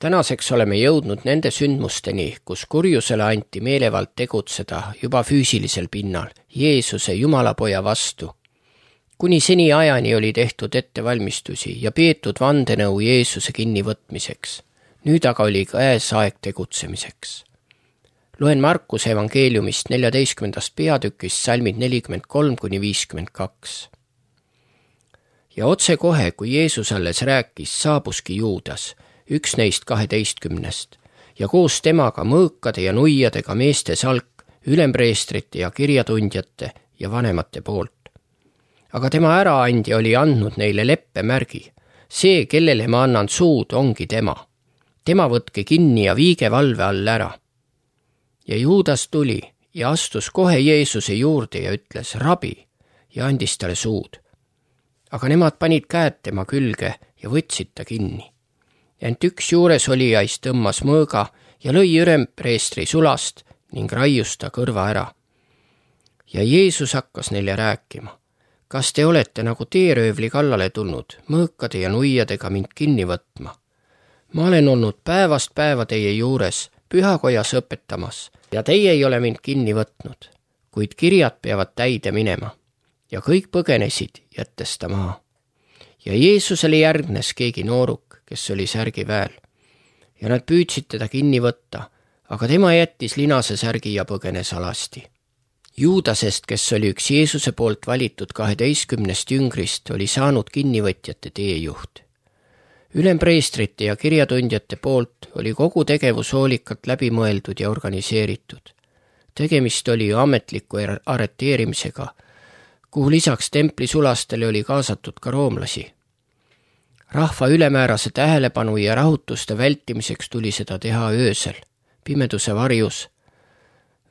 Tänaseks oleme jõudnud nende sündmusteni, kus kurjusele anti meelevald tegutseda juba füüsilisel pinnal, Jeesuse Jumalapoja vastu. Kuni seni ajani oli tehtud ettevalmistusi ja peetud vandenõu Jeesuse kinnivõtmiseks. Nüüd aga oli käes aeg tegutsemiseks. Loen Markuse evangeeliumist 14. peatükist salmid 43-52. Ja otsekohe, kui Jeesus alles rääkis, saabuski Juudas, üks neist 12, ja koos temaga mõõkade ja nuiadega meeste salk, ülempreestrite ja kirjatundjate ja vanemate poolt. Aga tema äraandja oli andnud neile leppemärgi. See, kellele ma annan suud, ongi tema. Tema võtke kinni ja viige valve all ära. Ja Juudas tuli ja astus kohe Jeesuse juurde ja ütles, rabi, ja andis talle suud. Aga nemad panid käed tema külge ja võtsid ta kinni. Ent üks juures olijaist tõmmas mõõga ja lõi ülempreestri sulast ning raius ta kõrva ära. Ja Jeesus hakkas neile rääkima. Kas te olete nagu teeröövli kallale tulnud, mõõkade ja nuiadega mind kinni võtma? Ma olen olnud päevast päeva teie juures, pühakojas õpetamas, ja teie ei ole mind kinni võtnud, kuid kirjad peavad täide minema. Ja kõik põgenesid, jättes ta maha. Ja Jeesusele järgnes keegi nooruk, kes oli särgiväel. Ja nad püüdsid teda kinni võtta, aga tema jättis linase särgi ja põgenes alasti. Juudasest, kes oli üks Jeesuse poolt valitud 12 jüngrist, oli saanud kinnivõtjate teejuht. Ülempreestrite ja kirjatundjate poolt oli kogu tegevus hoolikalt läbimõeldud ja organiseeritud. Tegemist oli ju ametliku arreteerimisega, kuhu lisaks templi sulastele oli kaasatud ka roomlasi. Rahva ülemäärase tähelepanu ja rahutuste vältimiseks tuli seda teha öösel, pimeduse varjus.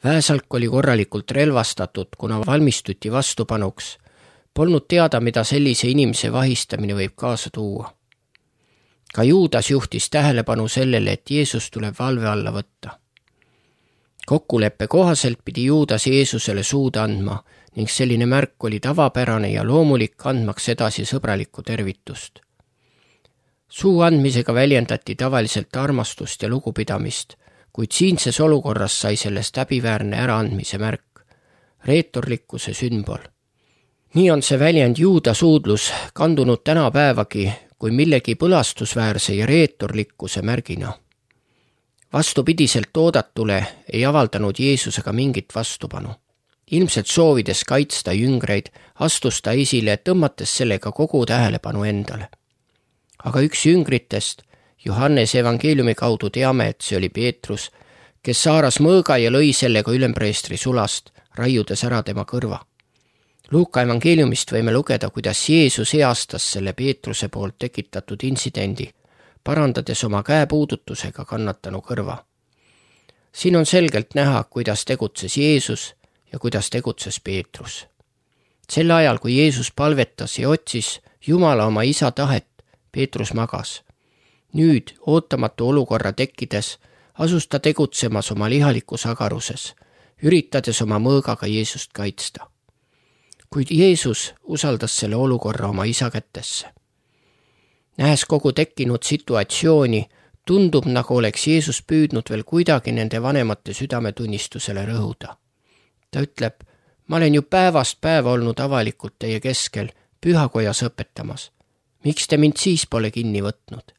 Väesalk oli korralikult relvastatud, kuna valmistuti vastupanuks. Polnud teada, mida sellise inimese vahistamine võib kaasa tuua. Ka Juudas juhtis tähelepanu sellele, et Jeesus tuleb valve alla võtta. Kokkuleppe kohaselt pidi Juudas Jeesusele suud andma ning selline märk oli tavapärane ja loomulik, andmaks edasi sõbralikku tervitust. Suu andmisega väljendati tavaliselt armastust ja lugupidamist, kuid siinses olukorras sai sellest häbiväärne äraandmise märk, reetorlikkuse sümbol. Nii on see väljend Juuda suudlus kandunud tänapäevagi kui millegi põlastusväärse ja reetorlikkuse märgina. Vastupidiselt oodatule ei avaldanud Jeesusega mingit vastupanu. Ilmselt soovides kaitsta jüngreid, astus ta esile, tõmmates sellega kogu tähelepanu endale. Aga üks jüngritest, Johannese evangeeliumi kaudu teame, et see oli Peetrus, kes saaras mõõga ja lõi sellega ülempreestri sulast, raiudes ära tema kõrva. Luuka evangeeliumist võime lugeda, kuidas Jeesus heastas selle Peetruse poolt tekitatud intsidendi, parandades oma käepuudutusega kannatanu kõrva. Siin on selgelt näha, kuidas tegutses Jeesus ja kuidas tegutses Peetrus. Sel ajal, kui Jeesus palvetas ja otsis Jumala oma isa tahet, Peetrus magas. Nüüd, ootamatu olukorra tekkides, asus ta tegutsemas oma lihalikus agaruses, üritades oma mõõgaga Jeesust kaitsta. Kuid Jeesus usaldas selle olukorra oma isa kätesse. Nähes kogu tekkinud situatsiooni, tundub, nagu oleks Jeesus püüdnud veel kuidagi nende vanemate südametunnistusele rõhuda. Ta ütleb, ma olen ju päevast päeva olnud avalikult teie keskel, pühakojas õpetamas. Miks te mind siis pole kinni võtnud?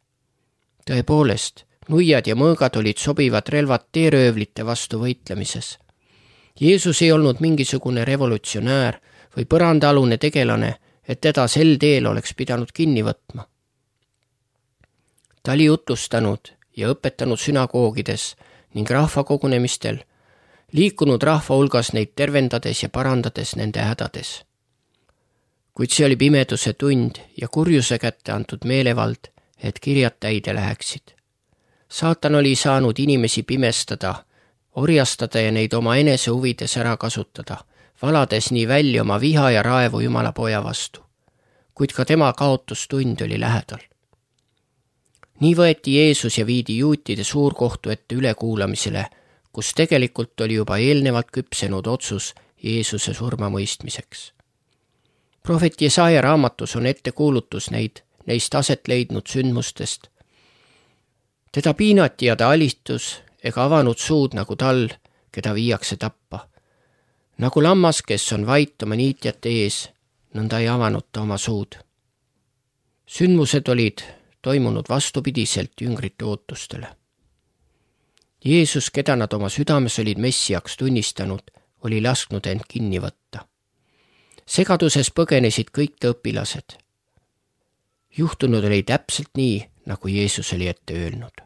Tõepoolest, nuiad ja mõõgad olid sobivad relvad teeröövlite vastu võitlemises. Jeesus ei olnud mingisugune revolutsionäär või põrandaalune tegelane, et teda sel teel oleks pidanud kinni võtma. Ta oli jutlustanud ja õpetanud sünagoogides ning rahvakogunemistel, liikunud rahva hulgas neid tervendades ja parandades nende hädades. Kuid see oli pimeduse tund ja kurjuse kätte antud meelevald, et kirjad täide läheksid. Saatan oli saanud inimesi pimestada, orjastada ja neid oma enese huvides ära kasutada, valades nii välja oma viha ja raevu Jumala poja vastu. Kuid ka tema kaotustund oli lähedal. Nii võeti Jeesus ja viidi juutide suurkohtu ette ülekuulamisele, kus tegelikult oli juba eelnevalt küpsenud otsus Jeesuse surmamõistmiseks. Prohvet Jesaja raamatus on ettekuulutus neist aset leidnud sündmustest. Teda piinati ja ta alistus ega avanud suud nagu tal, keda viiakse tappa. Nagu lammas, kes on vait oma niitjate ees, nõnda ei avanud ta oma suud. Sündmused olid toimunud vastupidiselt jüngrite ootustele. Jeesus, keda nad oma südames olid messiaks tunnistanud, oli lasknud end kinni võtta. Segaduses põgenesid kõik ta õpilased. Juhtunud oli täpselt nii, nagu Jeesus oli ette öelnud.